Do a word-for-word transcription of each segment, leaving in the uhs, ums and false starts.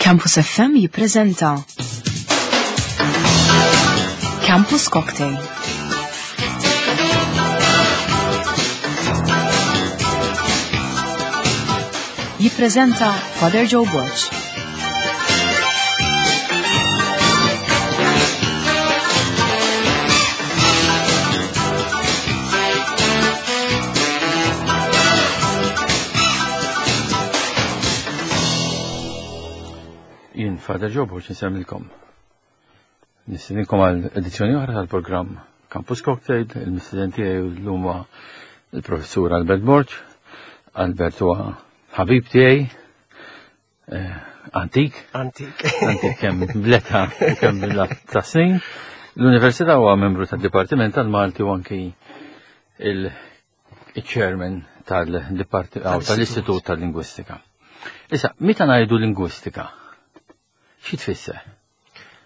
Campus F M jippreżenta Campus Cocktail. Jippreżenta Father Joe Borg. Jien Father Joe Borg insemmilkom. Nistedinkom għal edizzjoni oħra tal-programm Campus Cocktail. Il-mistieden tiegħi llum huwa il-professur Albert Borg. Albert huwa ħabib tiegħi, eh, antik. Antik. Antik kemm bl-età u kemm bl ta' snin. L-Università huwa membru tad-Dipartiment tal-Malti u anki il-chairman tal-Istitut tal-Lingwistika. Issa, meta ngħidu lingwistika, xi tfisser?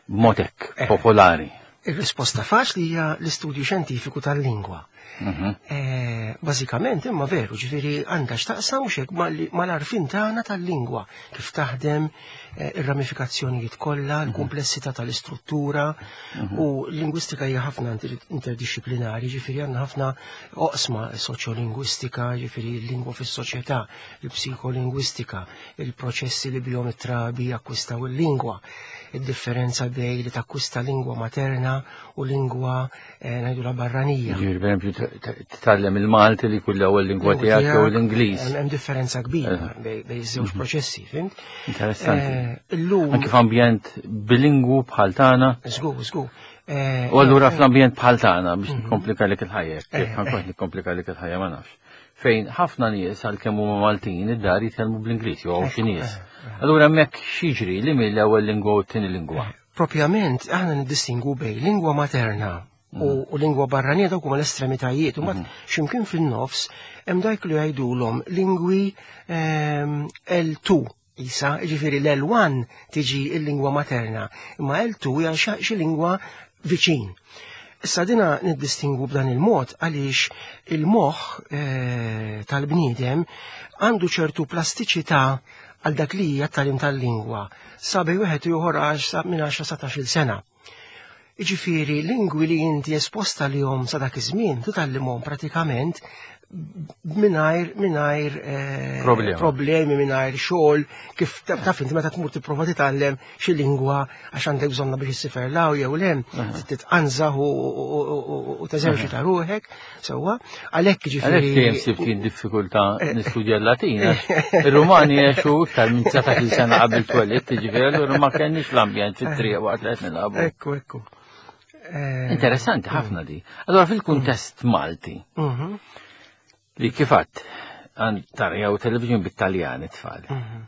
B'mod hekk Eh. popolari. Ir-risposta faċli hija l-istudju xjentifiku tal-lingwa. Mhm. Eh, Bażikament imma veru, ġifieri għandha x'taqsam mhux hekk mal-għarfien tagħna tal-lingwa, kif taħdem, eh, ir-ramifikazzjonijiet kollha, l-kumplessità tal-istruttura, u l-lingwistika hija ħafna inter- interdixxiplinari, ġifieri għandna ħafna oqsma: soċjolingwistika, ġifieri l-lingwa fis-soċjetà, il-psikolingwistika, il-proċessi li bihom it-trabi jakkwistaw il-lingwa, id-differenza bejn li takkwista lingwa materna u lingwa eh, ngħidula barranija. Ġifieri, per eżempju, titgħallem il-Malti li kull ewwel lingwa tiegħek jew l-Ingliż. Hemm hemm differenza kbira Eh. bejn bejn iż-żewġ proċessi, fhimt? Interessanti. Eh, Illum Anki f'ambjent bilingwu bħal tagħna. Żgur, żgur. Eh, U allura eh, fl-ambjent bħal tagħna, biex nikkomplika lek il-ħajja, Eh, jekk ħa nkun nikkomplika lek il-ħajja, ma nafx. Fejn ħafna nies, għalkemm huma Maltin, id-dar jitkellmu bl-Ingliż jew hawn xi nies. Allura hemmhekk x'jiġri li mill-ewwel lingwa u t-tieni lingwa? Propjament aħna niddistingu bejn lingwa materna u, u lingwa barranija, dawk huma l-estremitajiet, u mbagħad x'imkien fin-nofs hemm dak li jgħidulhom lingwi ehm, L two isa, ġifieri l-L one tiġi il-lingwa materna, imma L two hija xa- xi lingwa viċin. Issa dina niddistingu b'dan il-mod għaliex il-moħħ eh, tal-bniedem għandu ċertu plastiċità għal dak li hija tagħlim tal-lingwa sa bejn wieħed u ieħor għax sa minn għaxra sa tnax-il sena. Jiġifieri lingwi li inti esposta lilhom sa dak iż-żmien titgħallimhom pratikament mingħajr mingħajr eh, Problema. problemi, mingħajr xogħol, kif taf taf inti meta tmur tipprova titgħallem xi lingwa għax għandek bżonna biex issiefer 'l hawn jew 'l hemm, titqanżaħ u- u- u- u teżerċita ruħek sewwa, għalhekk Għalhekk ġifieri dejjem sibt jien diffikultà nistudja l-Latin, għax ir-Rumani għexu iktar minn dsatax-il sena qabel twelidt, ġifieri allura ma kenniex l-ambjent fit-triq waqt li qed nilagħbu. Ekku, ekku. Eh, Interessanti ħafna di. Allora fil-kuntest Malti, mhm, li kif għedt taraw television bit-Taljan it-tfal. mhm.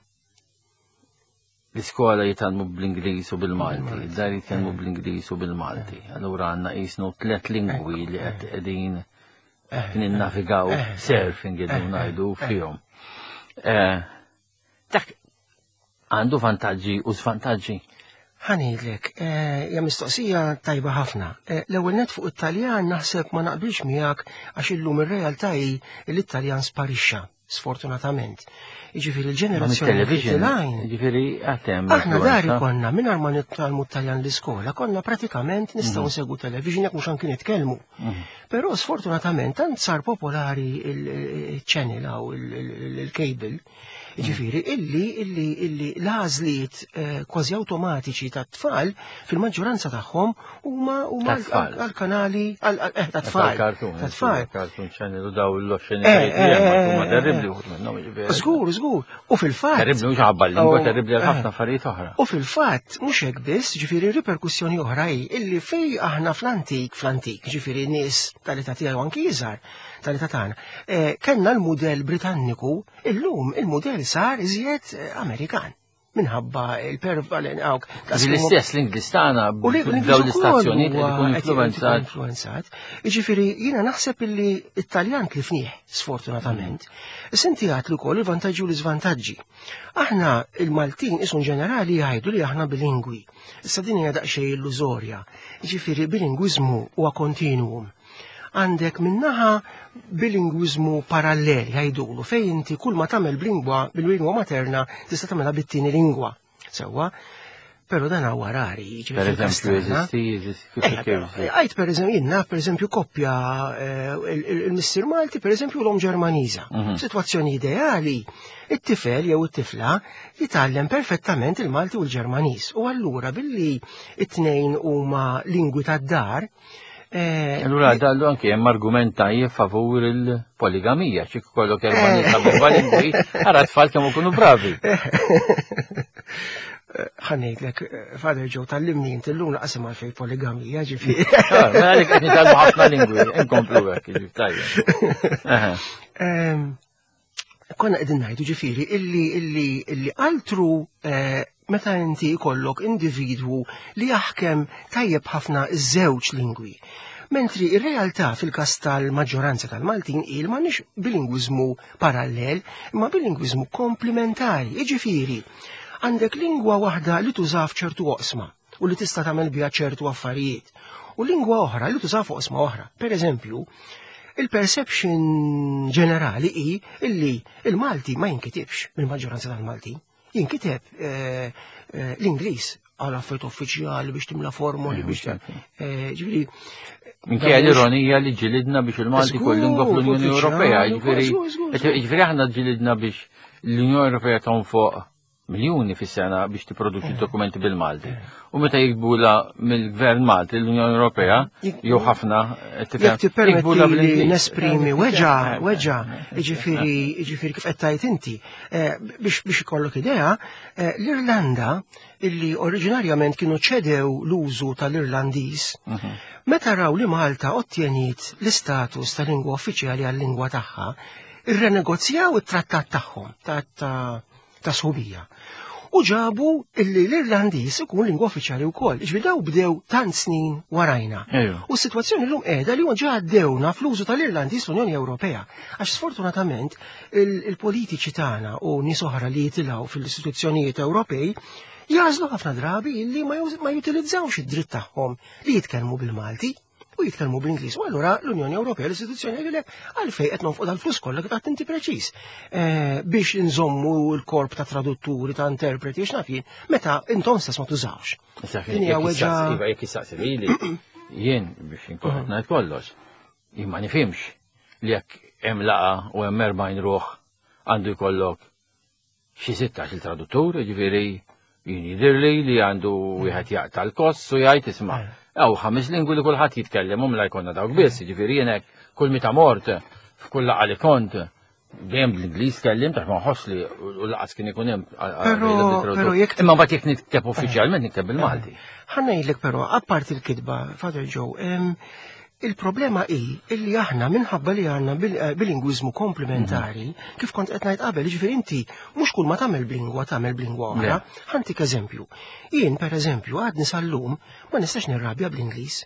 L-iskola jitgħallmu bl-Ingliż u bil-Malti, id-dar jitkellmu bl-Ingliż u bil-Malti. Allura għandna qisnu tlet lingwi li qed qegħdin ninnavigaw, surfing qegħdin ngħidu fihom. Eh, Dak għandu vantaġġi u svantaġġi. Ħa ngħidlek, eh, hija mistoqsija tajba ħafna. Eh, L-ewwel net fuq it-Taljan naħseb ma naqbilx miegħek, għax illum ir-realtà hi li t-Taljan sparixxa, sfortunatament. Jiġifieri l-ġenerazzjoni Television, tilgħin. ġifieri għatem. Aħna dari konna mingħajr ma nitgħallmu t-Taljan l-iskola, konna pratikament nistgħu nsegwu television jekk mhux anki nitkellmu. Però sfortunatament tant sar popolari il-channel aw il-cable, ġifieri illi illi illi l-għażliet eh, kważi awtomatiċi tat-tfal fil-maġġoranza tagħhom huma huma Tat-tfal. għal-kanali għal- eh, tat-tfal. Cartoon. Tat-tfal. Cartoon Channel u daw l-oxxeni. Eh, eh, huma eh, terribli uħud minnhom, ġifieri. Żgur, żgur. U fil-fatt. Terribli mhux ħabba l-lingwa, Oh, terribli għal eh. ħafna affarijiet oħra. U fil-fatt, mhux hekk biss, ġifieri riperkussjoni oħra hi illi fej aħna fl-antik, fl-antik, ġifieri nies tal-età tiegħi u anki iżgħar tal-età tagħna, eh, kellna l-mudell Britanniku, illum il-mudell sar iżjed eh, Amerikan minħabba il-pervalen għawk. L-istess l-Ingliż tagħna U li daw l-istazzjonijiet qed ikun influenzat. influenzat. Jiġifieri jiena naħseb illi it-Taljan tlifnieh, sfortunatament. Issa inti għedt li wkoll il-vantaġġi u l-iżvantaġġi. Aħna il-Maltin isun ġenerali jgħidu li aħna bilingwi. Issa din hija daqsxejn illużorja. Jiġifieri bilingwiżmu huwa continuum. Għandek minnaħa bilingwiżmu parallel jgħidulu, fejn inti kull ma tagħmel b'lingwa bil-lingwa materna tista' tagħmilha bit-tieni lingwa. Sewwa, però dan huwa rari, Per eżempju, jeżisti, jeżisti, kif kif. Għajt per eżempju, jien naf per eżempju koppja il-missier Malti, per eżempju l-omm Ġermaniża. Situazzjoni ideali, it-tifel jew it-tifla jitgħallem perfettament il-Malti u l-Ġermaniż. U allura billi it-tnejn huma lingwi tad-dar. Allura dallu anke hemm argument tajjeb favur il-poligamija, xi kollok erba' nisa b'erba' lingwi, ara tfal kemm ikunu bravi. Ħa ngħidlek, Father Joe, tgħallimni inti llum laqas għalfejn poligamija, ġifieri. Mela għalik qed nitgħallmu ħafna lingwi, inkomplu hekk, ġifieri tajjeb. Konna qegħdin ngħidu ġifieri illi illi illi altru meta inti jkollok individwu li jaħkem tajjeb ħafna iż-żewġ lingwi. Mentri ir-realtà fil-każ tal-maġġoranza tal-Maltin il m'għandniex bilingwiżmu parallel, imma bilingwiżmu komplementari. Jiġifieri, għandek lingwa waħda li tuża f'ċertu oqsma u li tista' tagħmel biha ċertu affarijiet, u lingwa oħra li tuża f'oqsma oħra. Per eżempju, il-perception ġenerali hi illi il-Malti ma jinkitibx mill-maġġoranza tal-Maltin. Jinkiteb l-Ingliż għal affarijiet uffiċjali biex timla formoli biex ġifieri. Minkejja l-ironija li ġilidna biex il-Malti kull lingwa fl-Unjoni Ewropea, ġifieri ġifieri aħna ġilidna biex l-Unjoni Ewropea tonfoq miljuni fis-sena biex tipproduċi dokumenti bil-Malti. U meta jikbula mill-Gvern Malti l-Unjoni Ewropea, jew ħafna Jekk tippermetti li nesprimi weġa, weġa, jiġifieri jiġifieri kif qed tgħid inti, biex biex ikollok idea, l-Irlanda illi oriġinarjament kienu ċedew l-użu tal-Irlandiż, meta raw li Malta ottjeniet l-istatus tal-lingwa uffiċjali għal-lingwa tagħha, irrenegozjaw it-trattat tagħhom ta' ta' sħubija. U ġabu illi l-Irlandiż ikun lingwa uffiċjali wkoll. Ġifieri daw bdew tant snin warajna. U s-sitwazzjoni llum qiegħda li ġa għaddewna fl-użu tal-Irlandiż l-Unjoni Ewropea. Għax sfortunatament il-politiċi tagħna u nies oħra li jitilgħu fil-istituzzjonijiet Ewropej jażlu ħafna drabi illi ma jutilizzawx id-dritt tagħhom li jitkellmu bil-Malti u jitkellmu bl-Ingliż. U allura l-Unjoni Ewropea l-istituzzjoni jgħidulek għalfejn qed nonfqu dal-flus kollha kif qed inti preċiż. Biex inżommu l-korp ta' tradutturi, ta' interpreti, x'naf jien, meta intom stess ma tużawx. Din hija weġa. Iva, jekk issaqsi lili, jien biex inkun qed ngħid kollox, jien ma nifhimx li jekk hemm laqgħa u hemm erbgħin ruħ għandu jkollok xi sittax il-traduttur, jiġifieri jien jidhirli li għandu wieħed jaqta' l-kost u jgħid isma' Aw ħames lingwi li kulħadd jitkellem u mla jkollna dawk biss, jiġifieri jien hekk kull meta mort f'kull laqgħa li kont dejjem bl-Ingliż tkellim tax ma nħoss li u laqas kien ikun hemm. Però jekk Imma mbagħad jekk nikteb uffiċjalment nikteb bil-Malti. Ħa ngħidlek però apparti l-kitba, Father Joe, il-problema hi illi aħna minħabba li għandna bilingwiżmu komplementari, kif kont qed ngħid qabel, jiġifieri inti mhux kull ma tagħmel b'lingwa tagħmel b'lingwa oħra. Ħa ntik eżempju. Jien pereżempju għadni sal-lum ma nistax nirrabja bl-Ingliż.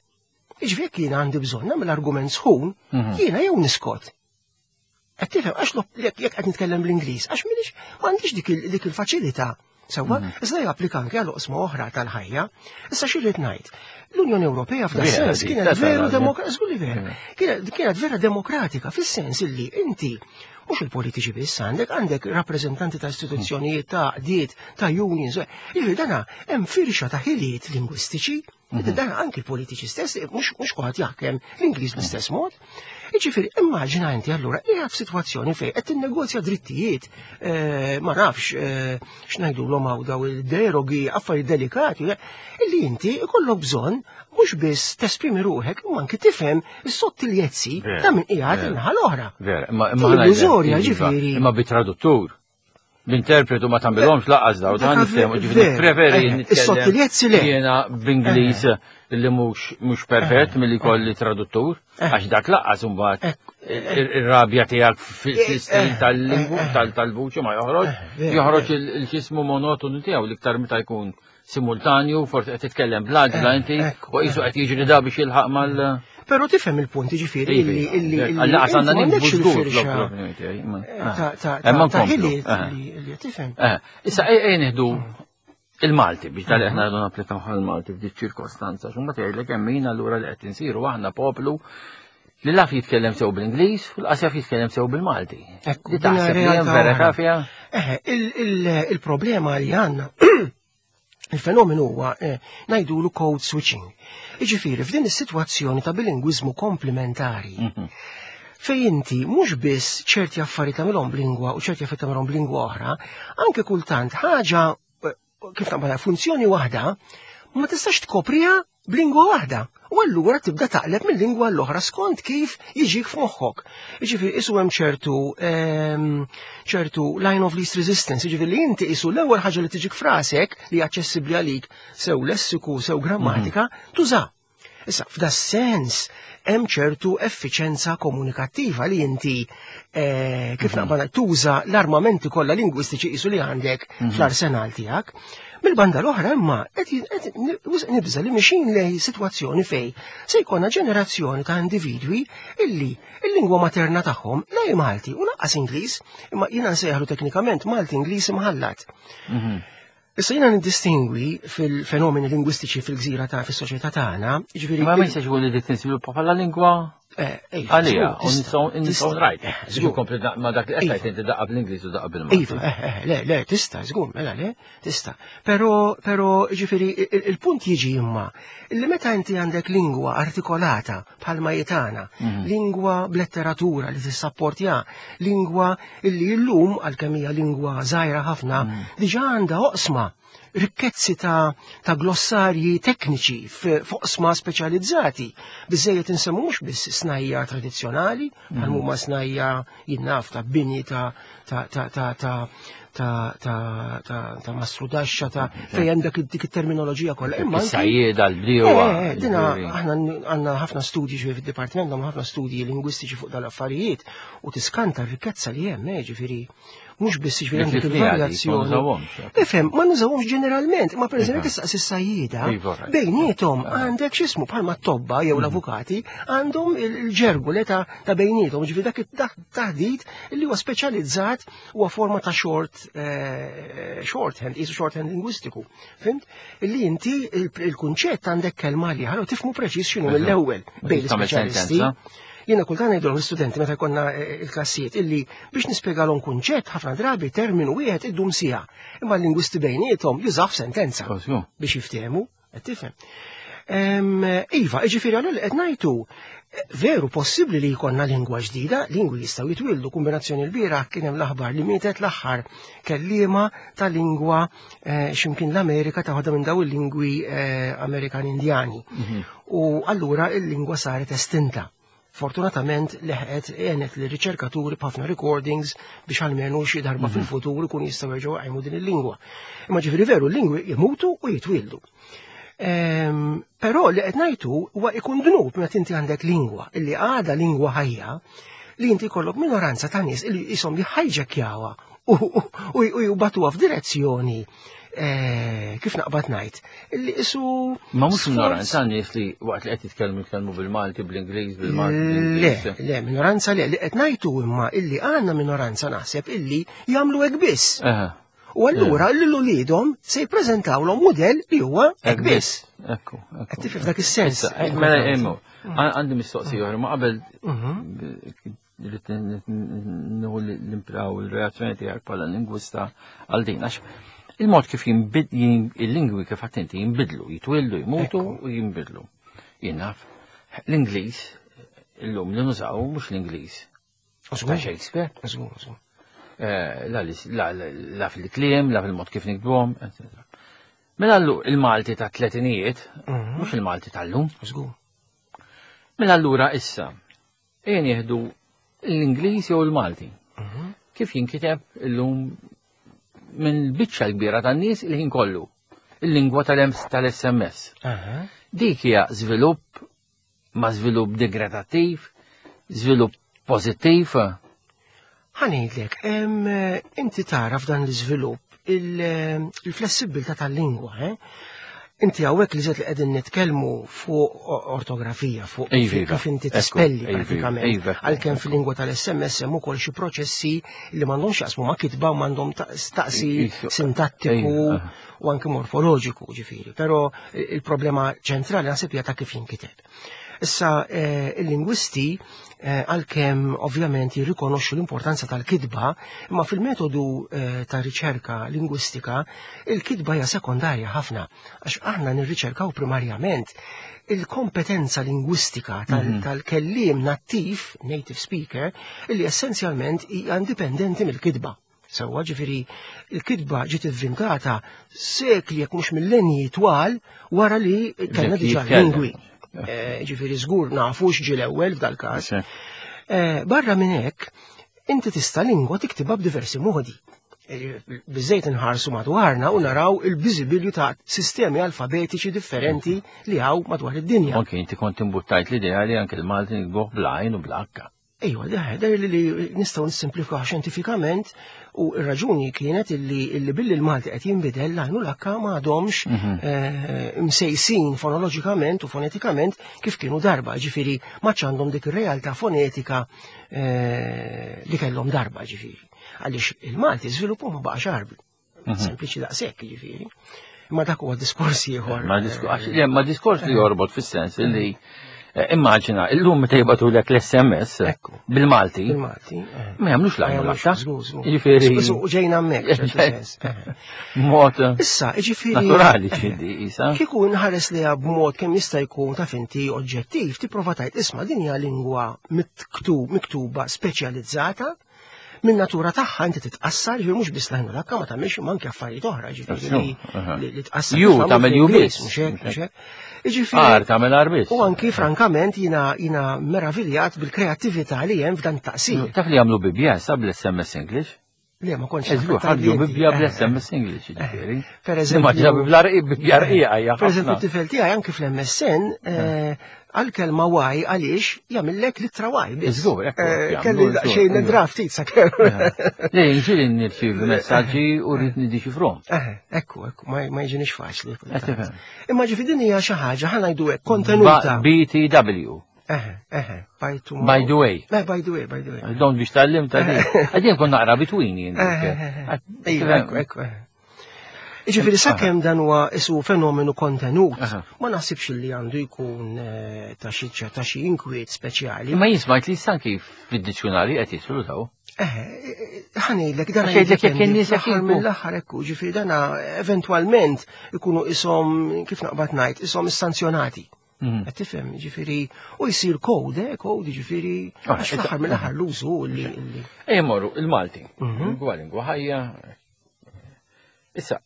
Jiġifieri jekk jiena għandi bżonn nagħmel argument sħun, jiena jew niskot. Qed tifhem għax jekk qed nitkellem bl-Ingliż, għax m'iniex m'għandix dik il-faċilità. Sewwa, iżda japplika anke għal oqsma oħra tal-ħajja. Issa xi rrid ngħid? L-Unjoni Ewropea f'dan sens kienet veru demokratika, kienet vera demokratika fis-sens illi inti mhux il-politiċi biss għandek, għandek rappreżentanti ta' istituzzjonijiet, ta' għaqdiet, ta' unions. Jiġifieri dana hemm firxa ta' ħiliet lingwistiċi, dana anki l-politiċi stess, mhux kulħadd jaħkem l-Ingliż bl-istess mod. Jiġifieri immaġina inti allura qiegħed f'sitwazzjoni fejn qed tinnegozja drittijiet, ma nafx x'ngħidulhom hawn daw il-derogi, affarijiet delikati, illi inti ikollok bżonn mhux biss tesprimi ruħek imma anki tifhem is-sottiljezzi ta' min qiegħed in-naħa l-oħra. Vera, imma imma ġifieri. Imma bit-traduttur. L-interpretu ma tagħmilhomx laqqas daw, dan niftehmu, ġifieri preferi Is-sottiljezzi le. Jiena b'Ingliż li mhux mhux perfett milli jkolli traduttur, għax dak laqqas imbagħad ir-rabja tiegħek fl-istil tal-lingwu tal-vuċi ma joħroġ, joħroġ il-xismu monotonu tiegħu l-iktar meta jkun simultanju, forsi qed titkellem bl-għaġla inti u qisu qed jiġri da biex jilħaq mal. Però tifhem il-punt, ġifieri illi illi illi għandna nieħdu żgur ta' ħiliet li tifhem. Issa ejja nieħdu il-Malti biex tal aħna rridu napplikaw għall-Malti f'dik ċirkostanza, x'huma tgħidlek hemm min allura li qed insiru aħna poplu li laf jitkellem sew bl-Ingliż u l-qas jaf jitkellem sew bil-Malti. Ekku, Li taħseb li hemm vera kafja? Eħe, il-problema li għandna Il-fenomenu huwa eh, ngħidulu code switching. Jiġifieri f'din is-sitwazzjoni ta' bilingwiżmu komplementari, fej inti mhux biss ċerti affarijiet tagħmilhom b'lingwa u ċerti affarijiet tagħmilhom b'lingwa oħra, anke kultant ħaġa eh, kif naqbad funzjoni waħda ma tistax tkopriha b'lingwa waħda. U allura tibda taqleb minn lingwa l-oħra skont kif jiġik f'moħħok. Jiġifieri isu hemm ċertu ehm, ċertu line of least resistance, jiġifieri li inti isu l-ewwel ħaġa li tiġik f'rasek li aċċessibbli għalik sew lessiku sew grammatika tuża. Issa, f'da sens, hemm ċertu effiċenza komunikattiva li inti eh, kif naqbad tuża l-armamenti kollha lingwistiċi isu li għandek fl-arsenal tiegħek. Mill-banda l-oħra imma qed qed nibża li mixin lej sitwazzjoni fej se jkollna ġenerazzjoni ta' individwi illi il-lingwa materna tagħhom la hi Malti u lanqas Ingliż, imma jiena nsejħlu teknikament Malti Ingliż imħallat. Issa jiena nindistingwi fil-fenomeni lingwistiċi fil-gżira ta' fis-soċjetà tagħna, jiġifieri Ma ma jistax ikun li dik tinżviluppa bħala lingwa Eh, iva, għalija, żgur, u tista', nistgħu nistgħu tista'. rajt. Eh, Żgur żgur. kompli da- ma dak li qed Iva. tgħid inti daqqa bl-Ingliż u daqqa bil-Malti. Iva, eh, eh, le, le, tista, żgur, mela le, tista. Pero, pero, ġifieri, il- il-punt jiġi imma, li meta inti għandek lingwa artikolata bħalma jitana, lingwa b'letteratura li tissapportja, lingwa illi illum, għalkemm hija lingwa żgħira ħafna, diġà għandha oqsma rikkezzi ta', ta' glossarji tekniċi f- f'oqsma speċjalizzati. Biżejjed insemmu mhux biss snajja tradizzjonali, bħal huma snajja jinnaf ta' bini ta' ta' ta' ta' ta' ta' ta' ta' ta' mastrudaxxa ta' fejn hemm dak dik it-terminoloġija kollha. Imma anki- Is-sajjieda, l-bdiewa. Eh, eh, dina ġifieri. aħna għandna ħafna studji ġifieri fid-dipartiment għandna ħafna studji lingwistiċi fuq dal-affarijiet u tiskanta r-rikkezza li hemm, eh, ġifieri mhux biss ġifieri Li għandek tlifniha dik, ma il-varjazzjoni. nużawhomx. Ifhem, ma nużawhomx ġeneralment, ma pereżempju Iva. tistaqsi s-sajjieda, Iva, right. bejniethom għandek x'ismu bħalma t-tobba jew l-avukati għandhom il-ġergu le ta' ta' bejniethom, ġifieri dak it-taħdit li huwa speċjalizzat huwa forma ta' short eh, shorthand, isu shorthand lingwistiku. Fimt? Illi inti il- il-kunċett għandek kelma li ħallu tifmu preċiż x'inhu mill-ewwel bejn Tagħmel l-ispeċjalisti. sentenza. Jiena kultant ngħidulhom l-istudenti meta jkollna eh, il-klassijiet illi biex nispjegalhom kunċett ħafna drabi terminu wieħed iddum siegħa. Imma l-lingwisti bejniethom jużaw sentenza Żgur. biex jiftehmu, qed tifhem. Em, Iva, ġifieri għallu li qed ngħidu, eh, veru possibbli li jkollna lingwa ġdida, lingwi jistgħu jitwildu kombinazzjoni l-bieraħ kien hemm l-aħbar li mietet l-aħħar kelliema ta' lingwa eh, x'imkien l-Amerika ta' waħda minn daw il-lingwi eh, Amerikan Indjani. U allura il-lingwa saret estinta. Fortunatament leħqet għenet li riċerkaturi b'ħafna recordings biex almenu xi darba fil-futur ikun jistgħu jerġgħu jqajmu din il-lingwa. Imma ġifieri veru l-lingwi jmutu u jitwildu. Ehm, Però li qed ngħidu huwa ikun dnub meta inti għandek lingwa illi għadha lingwa ħajja li inti jkollok minoranza ta' nies illi jisom jħajġekjawha u u u jibagħtuha f'direzzjoni eh, kif naqbad ngħid illi isu Ma mhux sforz- minoranza nies li waqt li qed jitkellmu jitkellmu bil-Malti, bl-Ingliż, bil-Malti, Le, bl-Ingliż. le, minoranza le, li qed ngħidu imma illi għandna minoranza naħseb illi jagħmlu hekk biss. Eħe. U allura lil uliedhom se jippreżentawlhom mudell li huwa hekk biss. Ekku, ekku. Qed tifhem f'dak is-sens. Issa, eh, mela, emmu, għandi mistoqsija oħra, ma qabel Mhm. rrid nieħu l-impraw il-reazzjoni tiegħek bħala lingwista għal din. Għax il-mod kif jinbid il-lingwi kif għedt inti jinbidlu, jitwildu, jmutu u jinbidlu. Jien naf, l-Ingliż illum li nużaw mhux l-Ingliż. Ta' Shakespeare. Żgur, żgur. Eh, La lis- la- la la fil-kliem, la fil-mod kif nikdbuhom, eccetera. Mela allu il-Malti ta' tletinijiet, Mhm. mhux il-Malti tal-lum. Żgur. Mela allura issa, ejja nieħdu l-Ingliż jew il-Malti. Mhm. Kif jinkiteb illum minn biċċa l-kbira tan-nies il-ħin kollu. Il-lingwa tal-S M S. Aha. Dik hija żvilupp ma' żvilupp degradattiv, żvilupp pożittiv. Ħa ngħidlek, em, inti tara f'dan l-iżvilupp il- il-flessibilità tal-lingwa, eh? Inti hawnhekk li zet li qegħdin nitkellmu fuq ortografija, fuq Iva, kif iva. kif inti Ekku, tispelli iva, pratikament. iva, Għalkemm fil-lingwa tal-S M S hemm ukoll xi proċessi li m'għandhomx jaqsmu ma' kitba u m'għandhom ta- staqsi Iva. sintattiku Iva. u anke morfoloġiku ġifieri. Però il-problema ċentrali naħseb hija ta' kif jinkiteb. Issa eh, il-lingwisti eh, għalkemm ovvjament jirrikonoxxu l-importanza tal-kitba, imma fil-metodu eh, ta' riċerka lingwistika il-kitba hija sekondarja ħafna, għax aħna nirriċerkaw primarjament il-kompetenza lingwistika Mhm. tal-kelliem nattiv, native speaker, illi essenzjalment hija indipendenti mill-kitba. Sewwa ġifieri il-kitba ġiet ivvintata sekli jekk mhux millenji twal wara li kellna Ġiet diġà jitkellem. lingwi. Eh, Ġifieri żgur nafu x'ġie l-ewwel f'dal-każ. Sì. Eh, Barra minn hekk, inti tista' lingwa tiktibha b'diversi modi. Eh, Biżejt inħarsu madwarna u naraw il-biżibilju ta' sistemi alfabetiċi differenti li hawn madwar id-dinja. Anke inti kont imbuttajt l-idea li anke l-Malti nikbuh bl-għajn u bl-akka. Ejwa, da, da li li nistgħu nissimplifikaw xjentifikament u r-raġuni kienet illi, illi billi l-Malti qed jinbidel l-għajn u l-akka ma għadhomx eh, msejsin fonoloġikament u fonetikament kif kienu darba, ġifieri ma għandhom dik ir-realtà fonetika eh, li kellhom darba, ġifieri. Għaliex il-Malti żviluppu ma baqax Għarbi. Sempliċi daqshekk, ġifieri. Ma dak huwa diskors ieħor. Ma disku- għax- le, ma diskors li jorbot fis-sens li eh, immaġina, illum meta jibagħtulek l-S M S Ekku. bil-Malti, Bil-Malti. eh. ma jagħmlux Ma l-għajn u jagħmlux, l-akka. żgur, żgur. Ġifieri Żgur, ġejna hemmhekk, ċertu sens. Eh. mod Issa, ġifieri. naturali ċindi isa. Kieku nħares li b'mod kemm jista' jkun ta' finti oġġettiv, tipprova tgħid isma' din hija lingwa miktub, miktuba speċjalizzata, minn natura tagħha inti titqassar, ġifieri mhux biss l-għajn u l-akka ma tagħmilx imma anke affarijiet oħra, ġifieri li Aha. li li tqassar. Ju kif għamlu tagħmel ju fl-Ingliż, biss. mhux hekk, mhux hekk. Jiġifieri Ar tagħmel ar biss. u anki frankament jina jina meraviljat bil-kreattività li hemm f'dan taqsir. Taf li jagħmlu Bibbja sa bl-S M S English? Le ma kontx Eżgu, naf ħarġu inti. Bibbja Eh, bl-S M S English, ġifieri. Per eżempju- Immaġina Bibbja rqiq, Bibbja rqiqa hija Per eżempju, ħafna. t-tifel tiegħi anki fl-M S N eh, għal-kelma Y għaliex jagħmillek litra Y biss. Żgur, ekku, Eh, jagħmlu, Kelli żgur, daqsxejn żgur. draft ftit sakemm. Le, ġieli nirċievi messaġġi u rrid niddiċifrhom. Eh, ekku, ekku, ma ma jiġinix faċli. Qed tifhem. Imma ġifi din hija xi ħaġa ħa ngħidu hekk kontenuta. B T W. Eh, eh, by to By the way. Eh, by the way, by the way. Don't biex tallim ta' di. Għadin kon naqra between jien. Eh, eh, eh. Ejwa, ekku, ekku. eh. Ġifieri sakemm dan huwa isu fenomenu kontenut, Aha. ma naħsibx li għandu jkun eh, ta' xi ta' xi inkwiet speċjali. Imma jismajt li sanki fid-dizzjonari qed jidħlu daw. Eh, ħa ngħidlek dan Għax jgħidlek jekk in-nies jekk fl-aħħar jinku. mill-aħħar ekku, ġifieri dana eventwalment ikunu ishom kif naqbad ngħid, ishom issanzjonati. Mhm. Qed tifhem, ġifieri u jsir kode, eh, kode ġifieri Ah, għax fl-aħħar mill-aħħar l-użu li li- Ejja morru, il-Malti. Mhm. Lingwa lingwa ħajja. Issa,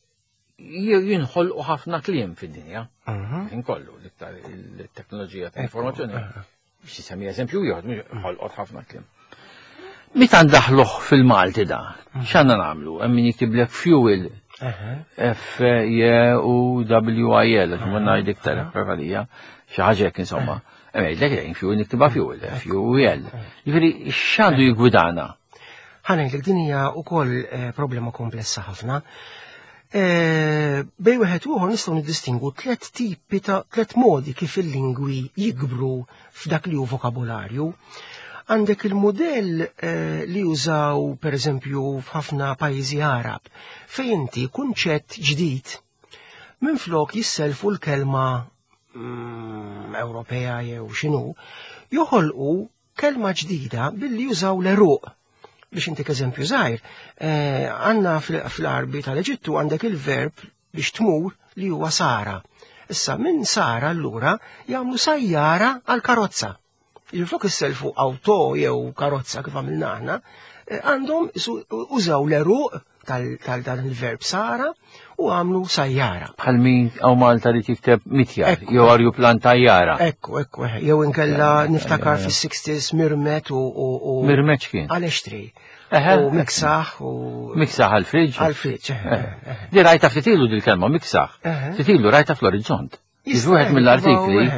jinħolqu ħafna kliem fid-dinja. Mhm. Inkollu l-iktar il-teknoloġija ta' informazzjoni. Biex jisemmi eżempju ieħor, mhux ħolqot ħafna kliem. Meta ndaħluh fil-Malti da, x'għandna nagħmlu? Hemm min jiktiblek fuel, Eħe. F J U W I L, għax ma ngħid iktar preferija, xi ħaġa hekk insomma. Hemm jgħidlek lejn fuel niktibha fuel, F U L. Jiġifieri x'għandu jiggwidana? Ħa ngħidlek din hija wkoll eh, problema komplessa ħafna. Eh, Bejn wieħed u ieħor nistgħu niddistingu tliet tipi ta' tliet modi kif il-lingwi jikbru f'dak li hu vokabolarju. Għandek il-modell eh, li jużaw per eżempju f'ħafna pajjiżi Arab, fejn inti kunċett ġdid minflok jisselfu l-kelma mm, Ewropea jew x'inhu, joħolqu kelma ġdida billi jużaw l-għeruq. Biex intik eżempju żgħir, eh, għandna fil-Arbi tal-Eġittu għandek il-verb biex tmur li huwa sara. Issa minn sara allura jagħmlu sajjara għal karozza. Flok isselfu auto jew karozza kif għamilna aħna, eh, għandhom użaw l-għeruq tal-dan il-verb sara u għamlu sajjara. Bħal min hawn Malta li tikteb mitjar, jew arjuplan tajjara. Ekku, ekku, jew inkella niftakar fis-sixties mirmet u. Mirmet kien? Għal-extri. U miksaħ u. Miksaħ għal-friġ? Għal-friġ. Di rajta ftit ilu dil-kelma miksaħ. Ftit ilu rajta fl-Orizzont. Wieħed mill-artikli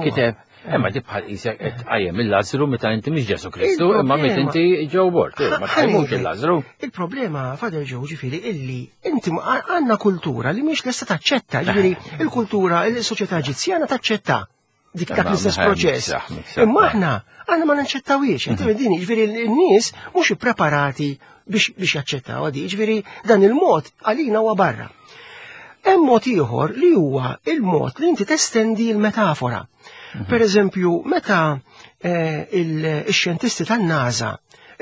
kiteb Imma di bħal qisek qed tqajjem il-Lazzru meta inti mhix Ġesu Kristu, imma meta inti Joe Bort, ma tqajmux il-Lazzru. Il-problema, Father Joe, ġifieri illi inti għandna kultura li mhix lesta taċċetta, ġifieri il-kultura, il-soċjetà Eġizzjana taċċetta dik dak l-istess proċess. Imma aħna aħna ma naċċettawiex, inti din, ġifieri n-nies mhux ippreparati biex biex jaċċettaw għadi, ġifieri dan il-mod għalina huwa barra. Hemm mod ieħor li huwa il-mod li inti testendi l-metafora. Per eżempju, meta eh, il-xjentisti tan-NASA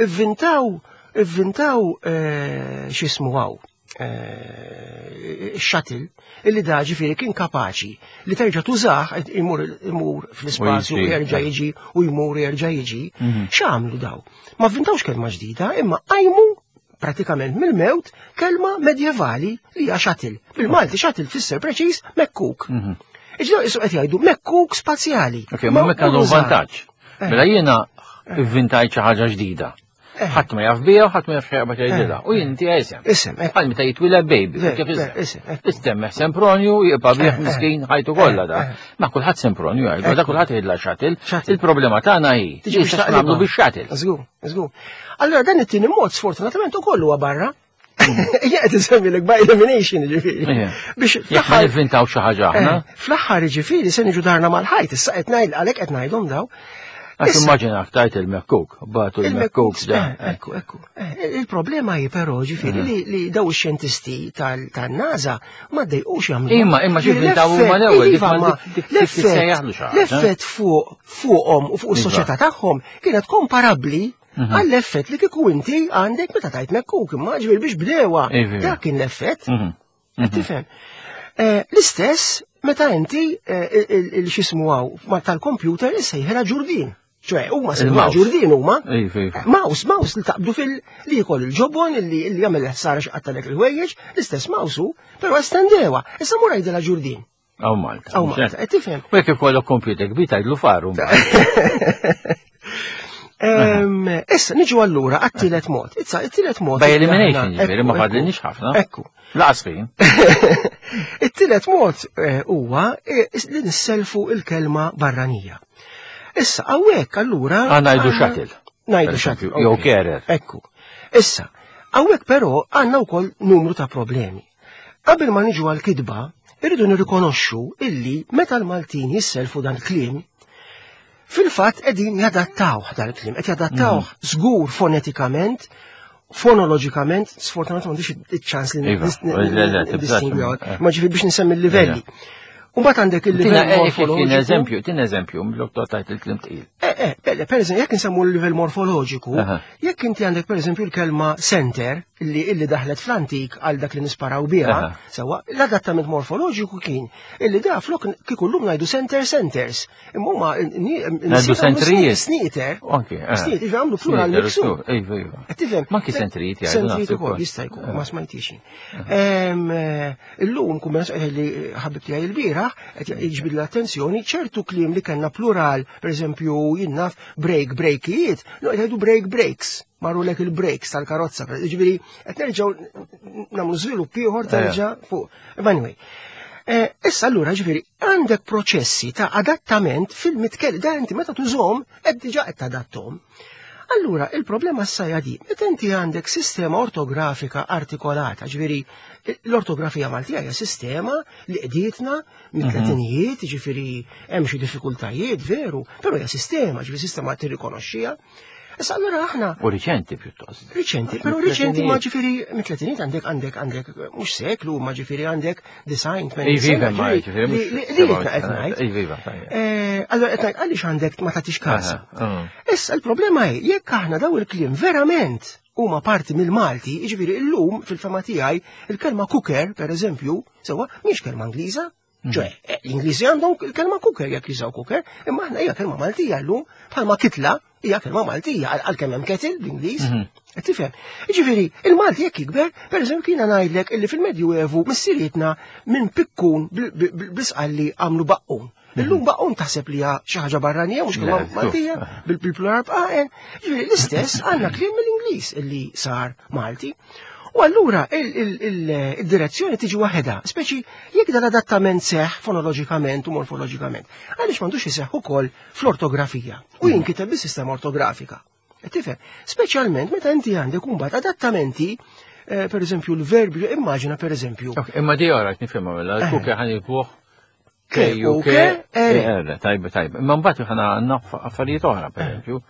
ivvintaw ivvintaw eh, x'ismu hawn eh, shuttle illi da ġifieri kien kapaċi li terġa' tużah imur imur fl-ispazju U u jiġi. jerġa' jiġi u jmur u jerġa' jiġi. X'għamlu daw? Ma vvintawx kelma ġdida, imma qajmu pratikament mill-mewt kelma medjevali li hija shuttle. Bil-Malti shuttle tfisser preċiż mekkuk. Iġdaw isu qed jgħidu mekkuk spazjali. Ok, ma mekk għandu użat. vantaġġ. Mela jiena ivvintajt xi ħaġa ġdida. Ħadd ma jaf bija u ħadd ma jaf xejn jgħidilha. U jien inti isem. Isem, ekku. Bħal meta jitwila baby, Ver, kif ver, isem. isem, ekku. Istemmeħ Sempronju, jibqa' bih Eh, miskin ħajtu kollha da. eh. Ma kulħadd Sempronju jgħidu, da kulħadd jgħidla shuttle. Shuttle. Il-problema tagħna hi. Tiġi biex Issa taqlibha. nagħmlu bix-shuttle. Żgur, żgur. Allora dan it-tieni mod sfortunatament ukoll huwa barra. Jien qed insemmilek by elimination ġifieri. Ija. Biex Jekk ma fl-aħħar nivvintaw xi ħaġa aħna, eh, fl-aħħar ġifieri se niġu darna mal-ħajt, issa qed ngħid għalhekk qed ngħidhom daw. għax Issa- immaġinak tajt il-mekkuk, batu il-mekkuk da. Eh, Ekku, ekku. Eh, Il-problema hi però ġifieri li li daw ix-xjentisti tal- tan-NASA ma ddejqux jagħmlu. Imma- imma xi vvintaw huma l-ewwel, dik Iva, ma ma dik- dik- dik tissejjaħlu xi ħaġa. L-effett fuq fuqhom u fuq is-soċjetà tagħhom kienet komparabbli għall-effett li kieku inti għandek meta tajt mekkuk, imma ġifieri biex bdewa. Iva. Dak kien l-effett. Mhm. Qed Tifhem. Eh, L-istess meta inti eh, il- il- x'ismu hawn ma tal-computer issejħilha ġurdin. ċoè, huma sejħilha Il-mouse. ġurdin huma. Iva, iva. Mouse, mouse li taqbdu fil li jkoll il-ġobon li li jagħmel ħsara x'qattalek il-ħwejjeġ, l-istess mouse hu, però estendewa. Issa mur għidilha ġurdin. Aw Malta. Aw Malta, qed tifhem. U jekk ikollok computer kbir tgħidlu faru. Em, Issa niġu allura għat-tielet mod. Issa it-tielet mod. By elimination, Aħna- ġifieri, ma ekku, fadlinix ħafna. Ekku. Laqas fin. It-tielet mod eh, huwa eh, li nisselfu il-kelma barranija. Issa, hawnhekk allura. Ah, ngħidu għandna- shuttle. Ngħidu Per shuttle. eżempju, jew ok. carer. Ekku. Issa, hawnhekk però għandna wkoll numru ta' problemi. Qabel ma niġu għal-kidba, irridu nirrikonoxxu illi meta l-Maltin jisselfu dan il-kliem, fil-fatt qegħdin jadattawh dan il-kliem, qed jadattawh Mhm. żgur fonetikament, fonoloġikament, sfortunatament m'għandix iċ-ċans li Iva, le, le, tibżax, distingwi eh. ma ġifieri biex nsemmi l-livelli. U mbagħad għandek Tina il-livell eh, kien morfoloġiku. eżempju, tina eżempju, mill-doktor tajt il-klim tqil. Eh, eh, belle, per eżempju, jekk nsemmu l-livell morfoloġiku, Aha. jekk inti għandek per eżempju l-kelma center, illi, illi daħlet fl-antik għal dak li nisparaw biha, Aha. sewa, l-adattament morfoloġiku kien illi da flok kieku llum ngħidu center centers. Imma huma Ngħidu centrijiet. Sneater. Anki, eh. Sneater, jiġifieri għamlu plural Sneater, miksub. Iva, iva. Qed tifhem? Ma anki centrijiet jgħidu Centrijiet naħseb ukoll ukoll. jista' jkun, ma smajtix. Em, eh, Illum kumma li ħabib tiegħi il-bieraħ qed jiġbid l-attenzjoni ċertu kliem li kellna plural, pereżempju jien naf break breakijiet, no qed jgħidu break breaks. Marru lek il-breaks tal-karozza, ġifieri qed nerġgħu nagħmlu żvilupp ieħor terġa' fuq. But anyway. Eh, Issa allura ġifieri għandek proċessi ta' adattament fil-mitkell, da inti meta tużhom qed diġà qed tadattom. Allura, il-problema issa hija di, meta inti għandek sistema ortografika artikolata, ġifieri l-ortografija Maltija hija sistema li qdietna mit-tletinijiet, ġifieri hemm xi diffikultajiet, veru, però hija sistema, ġifieri sistema tirrikonoxxiha. Issa allura aħna U riċenti pjuttost. Riċenti, però riċenti ma ġifieri mit-tletinijiet għandek għandek għandek mhux seklu, ma ġifieri għandek design tmenin Iva, sena, iva, ma ġifieri ġifieri li mhux li- li seba' qed ngħid. Iva, iva, tajjeb. Eh, Allora qed ngħid għaliex għandek ma tagħtix każ. Aha, mm. Issa il-problema hi jekk aħna daw il-kliem verament huma parti mill-Malti, jiġifieri illum fil-fema tiegħi il-kelma cooker, per eżempju, sewwa mhix kelma Ingliża. Ċoè, eh, l-Ingliżi għandhom il-kelma cooker jekk jużaw cooker, imma aħna hija kelma Maltija llum bħalma kitla hija kelma Maltija għal- għalkemm hemm kettle bl-Ingliż. Qed Tifhem? Jiġifieri, il-Malti jekk jikber, per eżempju kiena ngħidlek illi fil-Medjuevu missirietna minn pikkun bil- bil- bil- bl-isqalli għamlu baqqun. Illum baqqun taħseb li hija xi ħaġa barranija mhux kelma Le, Maltija bil- bil-plural b'qaqen. Jiġifieri l-istess għandna kliem mill-Ingliż illi sar Malti. U allura il- il- il- il-direzzjoni tiġi waħedha, speċi jekk dan adattament seħ fonoloġikament u morfoloġikament, għaliex m'għandux iseħħ ukoll fl-ortografija u jinkiteb bis-sistema ortografika. Qed Tifhem, speċjalment meta inti għandek imbagħad adattamenti, eh, per eżempju l-verbi, immaġina per eżempju, Ok, Imma di ora nifhimha mela, Eh. l-kuke ħan jitbuħ K, K, U, U, K, K, R. E, R, tajba, tajba. Imma mbagħad ħana għandna affarijiet oħra, per eżempju,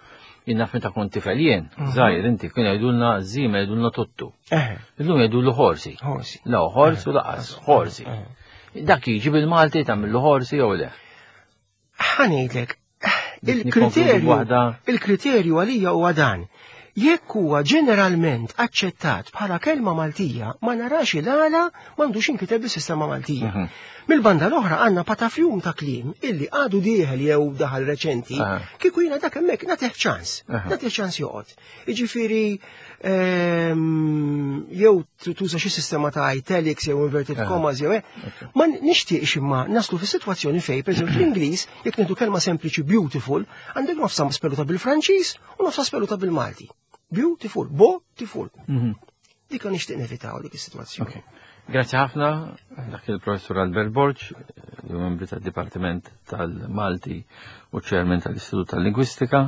Jien naf meta kont tifel jien, żgħir inti, kien jgħidulna żiemel jgħidulna tuttu. Eh, Illum jgħidulu ħorsi. Ħorsi. La ħors u lanqas, ħorsi. Dak jiġi bil-Malti tagħmillu ħorsi jew le? Ħa ngħidlek, Biex il-kriterju nikkonkludi b'waħda. il-kriterju għalija huwa dan. Jekk huwa ġeneralment aċċettat bħala kelma Maltija, ma narax il-għala m'għandux inkiteb bis-sistema Maltija. Mhm. Mil-banda l-oħra għandna patafjum ta' kliem illi għadu dieħel jew daħal reċenti, Aha. kieku jiena dak hemmhekk nagħtih ċans, Aha. nagħtih ċans joqgħod. Jiġifieri ehm, jew tuża xi sistema ta' italics jew inverted Aha. commas jew hekk. Ma nixtieqx imma naslu fi sitwazzjoni fej, pereżempju fl-Ingliż, jekk nieħdu kelma sempliċi beautiful, għandek nofsa speluta bil-Franċiż u nofsa speluta bil-Malti. Beautiful, bo-tiful. Mhm. Dik nixtieq nevitaw dik is-sitwazzjoni. Ok. Grazzi ħafna, dak il-professur Albert Borg, li huwa membri tad-Dipartiment tal-Malti u chairman tal-Istitut tal-Lingwistika.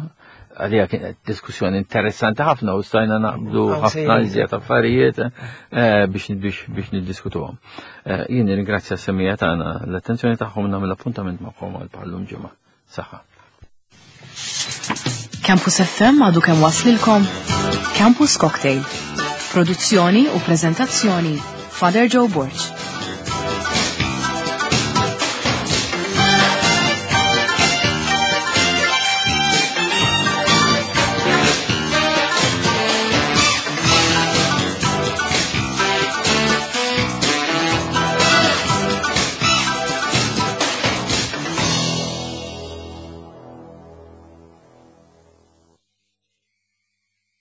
Għalija kienet diskussjoni interessanti ħafna u stajna naqbdu Ah, ħafna sejrin. iżjed affarijiet eh, biex biex biex niddiskutuhom. Eh, Jien nirringrazzja s-semmiegħa tagħna l-attenzjoni tagħhom nagħmel appuntament magħkom għal bħal-lum ġimgħa. Saħħa. Campus F M għadu kemm waslilkom Campus Cocktail. Produzzjoni u prezentazzjoni Father Joe Borg.